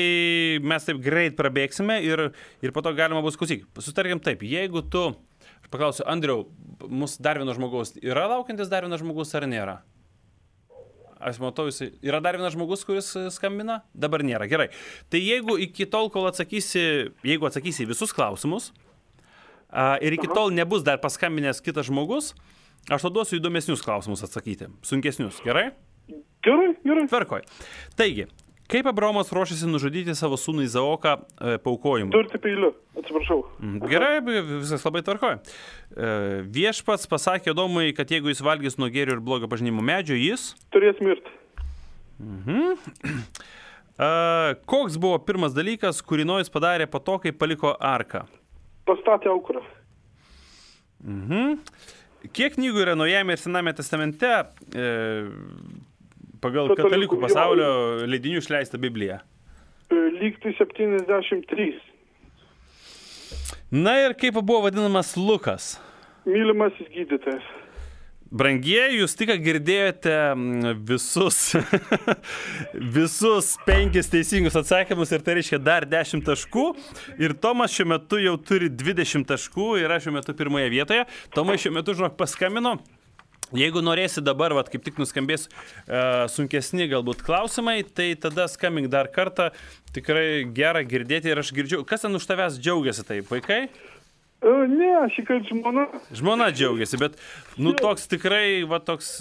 mes taip greit prabėgsime ir po to galima bus klausyk. Sutarkim taip, jeigu tu, aš paklausiu, Andriau, mūsų dar vieno žmogaus, yra laukiantis dar vienas žmogus ar nėra? Aš matau, yra dar vienas žmogus, kuris skambina? Dabar nėra, gerai. Tai jeigu iki tol, kol atsakysi visus klausimus ir iki tol nebus dar paskambinęs kitas žmogus, aš tau duosiu įdomesnius klausimus atsakyti, sunkesnius, gerai? Gerai. Tvarkoj. Taigi, kaip Abraomas ruošiasi nužudyti savo sūnų Izaoką paaukojimu? Durti peiliu, atsiprašau. Gerai, viskas labai tvarkoj. Viešpats pasakė Adomui, kad jeigu jis valgys nuo gėrio ir blogio pažinimo medžio, jis Turės mirti. Koks buvo pirmas dalykas, kurį Nojus padarė po to, kai paliko arką? Pastatė aukurą. Kiek knygų yra Naujajame ir Sename testamente pagal Katalikų pasaulio leidinių išleistą Bibliją? Lygtai 73. Na ir kaip buvo vadinamas Lukas? Mylimasis gydytojas. Brangieji, jūs tik girdėjote visus 5 teisingus atsakymus ir tai reiškia dar 10 taškų. Ir Tomas šiuo metu jau turi 20 taškų, yra šiuo metu pirmoje vietoje. Tomai šiuo metu, žinok, paskambino. Jeigu norėsi dabar, kaip tik nuskambės sunkesni galbūt klausimai, tai tada skambink dar kartą. Tikrai gera girdėti ir aš girdžiu. Kas ten už tavęs džiaugiasi taip, vaikai? Ne, aš įkart žmona. Žmona džiaugiasi, bet, toks tikrai, toks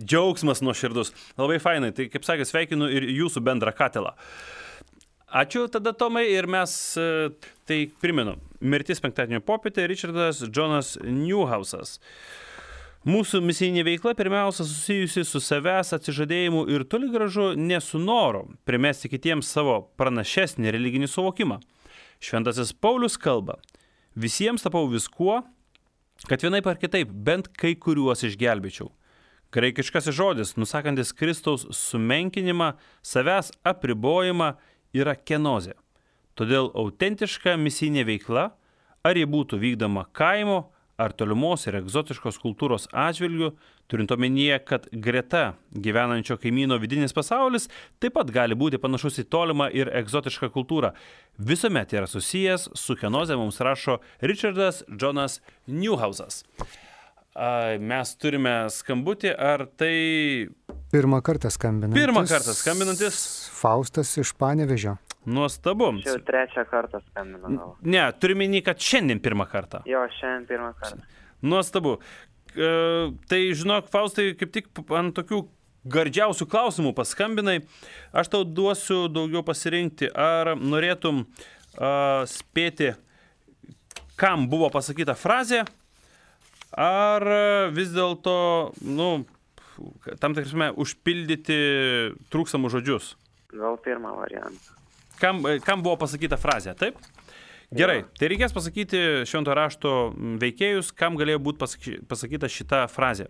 džiaugsmas nuoširdus. Labai fainai, tai kaip sakė, sveikinu ir jūsų bendrą katilą. Ačiū tada, Tomai, ir mes, tai primenu, Mirtis penktadienio popietė, Richardas Jonas Newhousas. Mūsų misijinė veikla pirmiausia susijusi su savęs atsižadėjimu ir toli gražu ne su noru primesti kitiems savo pranašesnį religinį suvokimą. Šventasis Paulius kalba, visiems tapau viskuo, kad vienaip ar kitaip bent kai kuriuos išgelbėčiau. Graikiškasis žodis, nusakantis Kristaus sumenkinimą, savęs apribojimą, yra kenozė. Todėl autentiška misijinė veikla, ar ji būtų vykdoma kaimo, ar tolimos ir egzotiškos kultūros atžvilgių, turint omenyje, kad greta gyvenančio kaimyno vidinis pasaulis taip pat gali būti panašus į tolimą ir egzotišką kultūrą. Visuomet yra susijęs su kenoze, mums rašo Richardas Jonas Newhousas. Mes turime skambutį, ar tai... Pirmą kartą skambinantis. Faustas iš Panevėžio. Nuostabu. Čia jau 3 kartą skambinau. Ne, turime minį, kad šiandien 1 kartą. Jo, šiandien 1 kartą. Nuostabu. Tai, žinok, Faustai, kaip tik ant tokių gardžiausių klausimų paskambinai. Aš tau duosiu daugiau pasirinkti. Ar norėtum spėti, kam buvo pasakyta frazė, ar vis dėlto, tam tikrame, užpildyti trūkstamus žodžius? Gal pirmą variantą. Kam buvo pasakyta frazė, taip? Gerai, tai reikės pasakyti švento rašto veikėjus, kam galėjo būti pasakyta šita frazė.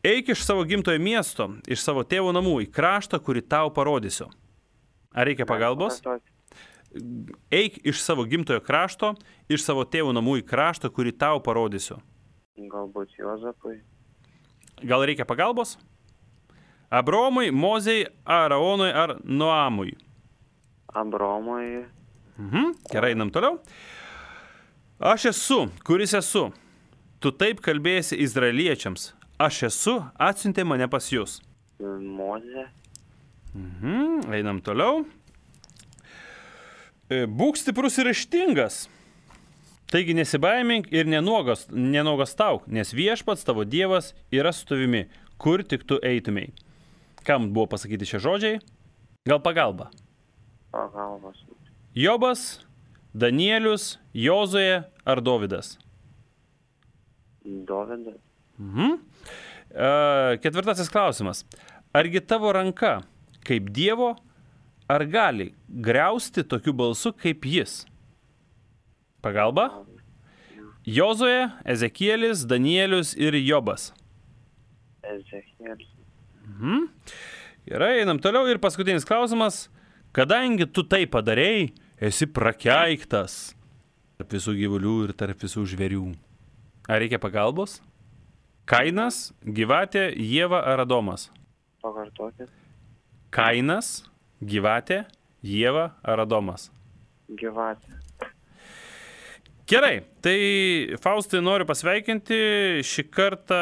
Eik iš savo gimtojo miesto, iš savo tėvo namų į kraštą, kurį tau parodysiu. Ar reikia pagalbos? Eik iš savo gimtojo krašto, iš savo tėvo namų į kraštą, kurį tau parodysiu. Galbūt Juozapui. Gal reikia pagalbos? Abraomui, Mozei, Aaronui ar Noamui? Abraomui. Gerai, einam toliau. Aš esu, kuris esu. Tu taip kalbėsi izraeliečiams. Aš esu, atsiuntė mane pas jūs. Mozė. Einam toliau. Būk stiprus ir ryžtingas. Taigi nesibaimink ir nenuogastauk, nes viešpats tavo Dievas yra su tavimi, kur tik tu eitumei. Kam buvo pasakyti šie žodžiai? Gal pagalba? Pagalbos. Jobas, Danielius, Jozuė ar Dovydas? Dovydas. Ketvirtasis klausimas. Argi tavo ranka kaip Dievo, ar gali griausti tokiu balsu kaip jis? Pagalba? Jozuė, Ezekielis, Danielius ir Jobas. Ezekielis. Gerai, einam toliau. Ir paskutinis klausimas. Kadangi tu tai padarėjai, esi prakeiktas tarp visų gyvulių ir tarp visų žvėrių. Ar reikia pagalbos? Kainas, Gyvatė, Ieva ar Adomas? Pakartokit. Kainas, Gyvatė, Ieva ar Adomas? Gyvatė. Gerai, tai Faustai noriu pasveikinti, šį kartą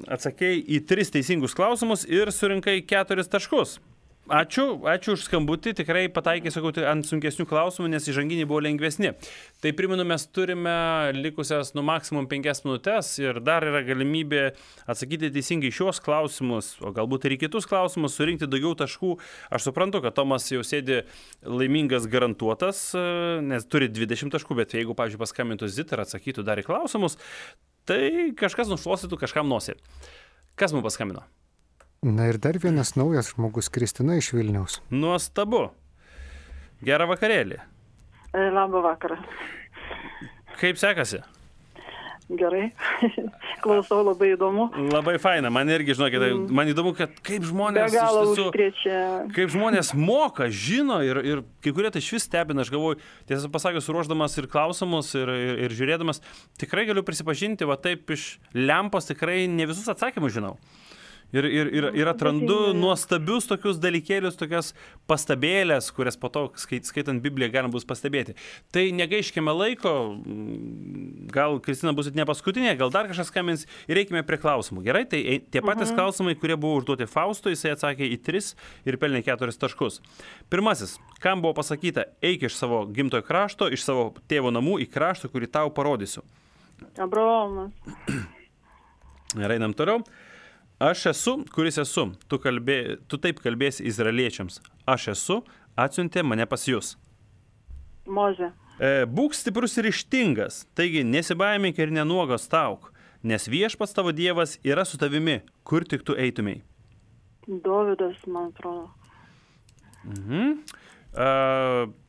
atsakėjai į 3 teisingus klausimus ir surinkai 4 taškus. Ačiū už skambutį, tikrai pataikė, sakau, ant sunkesnių klausimų, nes įžanginiai buvo lengvesni. Tai primenu, mes turime likusias maksimum 5 minutės ir dar yra galimybė atsakyti teisingai šios klausimus, o galbūt ir į kitus klausimus, surinkti daugiau taškų. Aš suprantu, kad Tomas jau sėdi laimingas garantuotas, nes turi 20 taškų, bet jeigu, pavyzdžiui, paskambintų Zita ir atsakytų dar į klausimus, tai kažkas nušluostytų kažkam nosį. Kas mums paskambino? Na ir dar vienas naujas žmogus, Kristina iš Vilniaus. Nuostabu. Gerą vakarėlį. Labą vakarą. Kaip sekasi? Gerai. Klausau, labai įdomu. Labai faina. Man irgi, žinokit, man įdomu, kad kaip žmonės, kaip žmonės moka, žino ir kai kurie tai švis stebina. Aš galvoju, tiesą pasakius, ruošdamas ir klausimus ir žiūrėdamas, tikrai galiu prisipažinti, va taip iš lempos tikrai ne visus atsakymus žinau. Ir atrandu nuostabius tokius dalykėlius, tokias pastabėlės, kurias po to, skaitant Bibliją, galima bus pastebėti. Tai negaiškime laiko, gal Kristina bus ne paskutinė, gal dar kažkas skambins ir reikime prie klausimų. Gerai, tai tie patys klausimai, kurie buvo užduoti Faustui, jisai atsakė į 3 ir pelnė 4 taškus. Pirmasis, kam buvo pasakyta, eik iš savo gimtojo krašto, iš savo tėvo namų į kraštą, kurį tau parodysiu? Abraomas. Ir einam toliau. Aš esu, kuris esu. Tu taip kalbėsi izraeliečiams. Aš esu, atsiuntė mane pas jūs. Mozė. Būk stiprus ir ryžtingas, taigi nesibaimink ir nenuogastauk, nes viešpats tavo Dievas yra su tavimi, kur tik tu eitumei. Dovydas, man atrodo.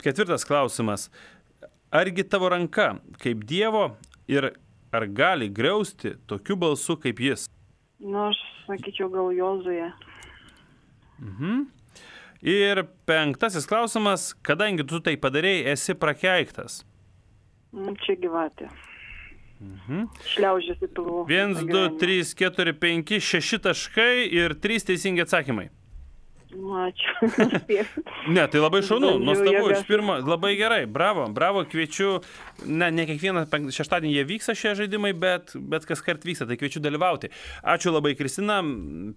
Ketvirtas klausimas. Argi tavo ranka kaip Dievo ir ar gali griausti tokiu balsu kaip jis? Aš sakyčiau, gal Jozuė. Ir 5 klausimas. Kadangi tu tai padarėjai, esi prakeiktas. Čia Gyvatė. Šliaužėsi pilvų. 1, 2, 3, 4, 5, 6 taškai ir 3 teisingi atsakymai. Ačiū. Ne, tai labai šaunu, nuostabu, iš pirmo, labai gerai, bravo, kviečiu, ne kiekvieną šeštadienį jie vyksta šie žaidimai, bet kas kart vyksta, tai kviečiu dalyvauti. Ačiū labai, Kristina,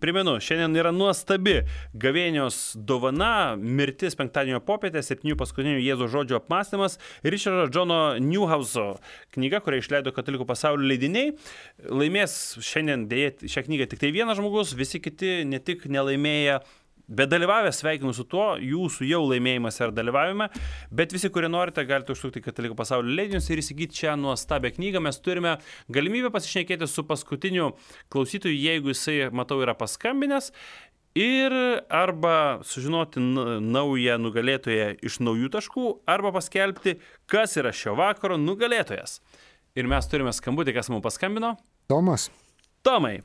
primenu, šiandien yra nuostabi gavėnios dovana, mirtis penktadienio popietę, 7 paskutinių Jėzaus žodžio apmąstymas, Richardo Johno Newhouso knyga, kurią išleido Katalikų pasaulio leidiniai. Laimės šiandien dėja šią knygą tik tai vienas žmogus, visi kiti ne tik nelaimėję, bet dalyvavę, sveikinu su tuo, jūsų jau laimėjimas ar dalyvavime, bet visi, kurie norite, galite užsukti Katalikų pasaulio leidinius ir įsigyti šią nuostabią knygą. Mes turime galimybę pasišnekėti su paskutiniu klausytoju, jeigu jisai, matau, yra paskambinęs, ir arba sužinoti naują nugalėtoją iš naujų taškų, arba paskelbti, kas yra šio vakaro nugalėtojas. Ir mes turime skambutį, kas mums paskambino. Tomas. Tomai,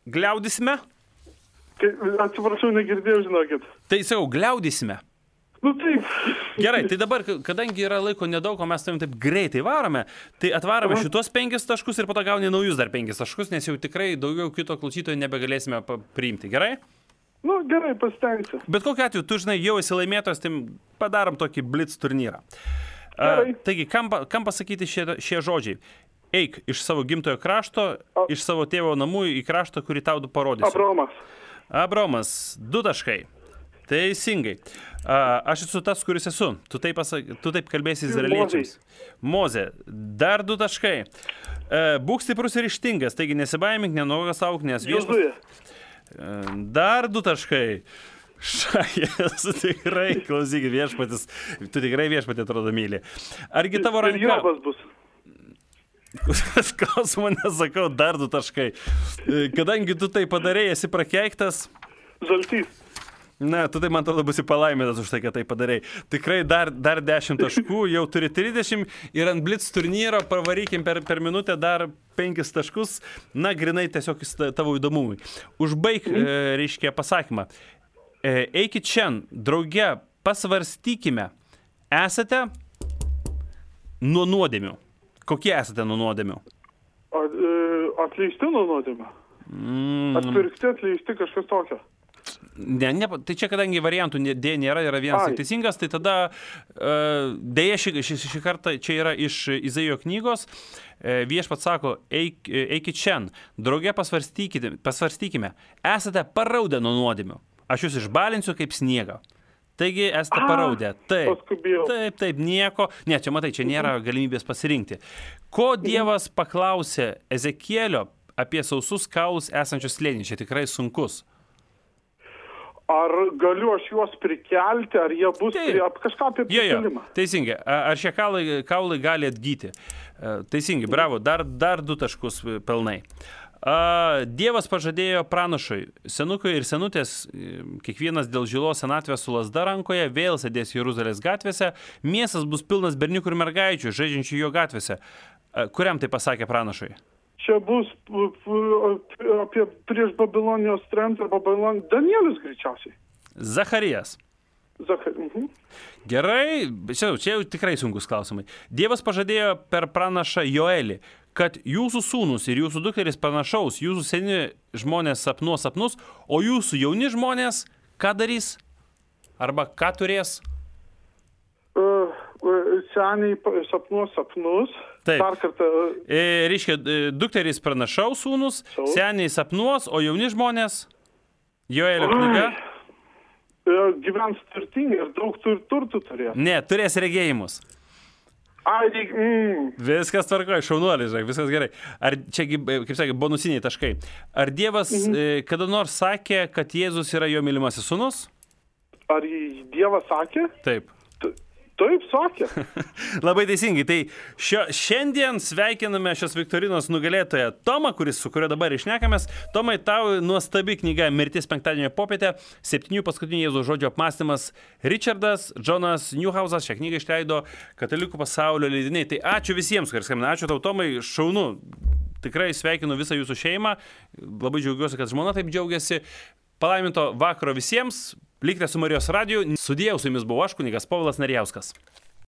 gliaudysime? Atsiprašau, negirdėjau, žinokit. Tai sakau, gliaudysime. Nu taip. Gerai, tai dabar, kadangi yra laiko nedaug, o mes taip greitai varome, tai atvarome šitos 5 taškus ir po to gauni naujus dar 5 taškus, nes jau tikrai daugiau kito klausytojo nebegalėsime priimti. Gerai? Nu, gerai, pasitengsiu. Bet kokiu atveju, tu žinai, jau esi laimėtojas, tai padarom tokį blitz turnyrą. Taigi, kam pasakyti šie žodžiai? Eik iš savo gimtojo krašto, iš savo tėvo namų į kraštą, kurį tau parodysiu. Abraomas, 2 taškai. Teisingai. Aš esu tas, kuris esu. Tu taip kalbėsi izraeliečiams. Mozė, dar 2 taškai. Būk stiprus ir ryžtingas, taigi nesibaimink, nenuogąstauk, nes viešpats. Dar 2 taškai. Šajas, tikrai, klausykit, viešpatis. Tu tikrai viešpatį atrodo myli. Argi tavo ranka... Ir Jobas bus. Klausimą nesakau, dar 2 taškai. Kadangi tu tai padarėjai, esi prakeiktas. Žaltys. Na, tu tai, man atrodo, būsi palaimintas už tai, kad tai padarėjai. Tikrai dar 10 taškų, jau turi 30 ir ant Blitz turnyro pavarykim per minutę dar 5 taškus. Na, grinai tiesiog tavo įdomumui. Užbaig, reiškia, pasakymą. Eikit šiandien, drauge, pasvarstykime. Esate nuo nuodėmių. Kokie esate nuo nuodėmių? Atleisti nuo nuodėmių. Atpirkti, atleisti, kažkas tokio. Ne, tai čia kadangi variantų D nėra, yra vienas tik teisingas, tai tada dėja šį kartą čia yra iš Izaijo knygos. Viešpats sako, eikit šiandien, drauge pasvarstykime. Esate paraudę nuo nuodėmių. Aš jūs išbalinsiu kaip sniegą. Taigi esate paraudę. Taip, nieko. Ne, čia matai, čia nėra galimybės pasirinkti. Ko Dievas paklausė Ezekielio apie sausus kaulus esančius slėnį? Čia tikrai sunkus. Ar galiu aš juos prikelti, ar jie bus kažką apie prikelimą? Teisingai. Ar šie kaulai gali atgyti? Teisingai, bravo. Dar 2 taškus pelnai. Dievas pažadėjo pranašui, senukui ir senutės, kiekvienas dėl žilos senatvės su lazda rankoje, vėl sėdės Jeruzalės gatvėse, miestas bus pilnas berniukų ir mergaičių, žaidžiančių jo gatvėse. Kuriam tai pasakė pranašui? Čia bus apie prieš Babilonijos tremtį, Danielius greičiausiai. Zacharijas. Gerai, čia jau tikrai sunkus klausimai. Dievas pažadėjo per pranašą Joelį, kad jūsų sūnus ir jūsų dukteris pranašaus, jūsų seni žmonės sapnuos sapnus, o jūsų jauni žmonės ką darys? Arba ką turės? Seniai sapnuos sapnus. Taip. Dar kartą. Reiškia, dukteris pranašaus sūnus, seniai sapnuos, o jauni žmonės? Joelio knyga? Gyvens turtingai ir daug turtų turės. Ne, turės regėjimus. Viskas tvarkoja, šaunuolis, viskas gerai. Ar čia, kaip sakė, bonusiniai taškai. Ar Dievas kada nors sakė, kad Jėzus yra jo mylimasis sūnus? Ar Dievas sakė? Taip. Taip, sakė. Labai teisingai. Tai šiandien sveikiname šios viktorinos nugalėtoją Tomą, su kurio dabar išnekamės. Tomai, tau nuostabi knyga Mirtis penktadienio popietę, 7 paskutinių Jėzaus žodžių apmąstymas. Richardas Jonas Newhausas šią knygą išleido Katalikų pasaulio leidiniai. Tai ačiū visiems, kurie skambina. Ačiū tau, Tomai, šaunu. Tikrai sveikinu visą jūsų šeimą. Labai džiaugiuosi, kad žmona taip džiaugiasi. Palaiminto vakaro visiems. Likite su Marijos radiju. Sudėjau, su jumis buvau aš, kunigas Povilas Narijauskas.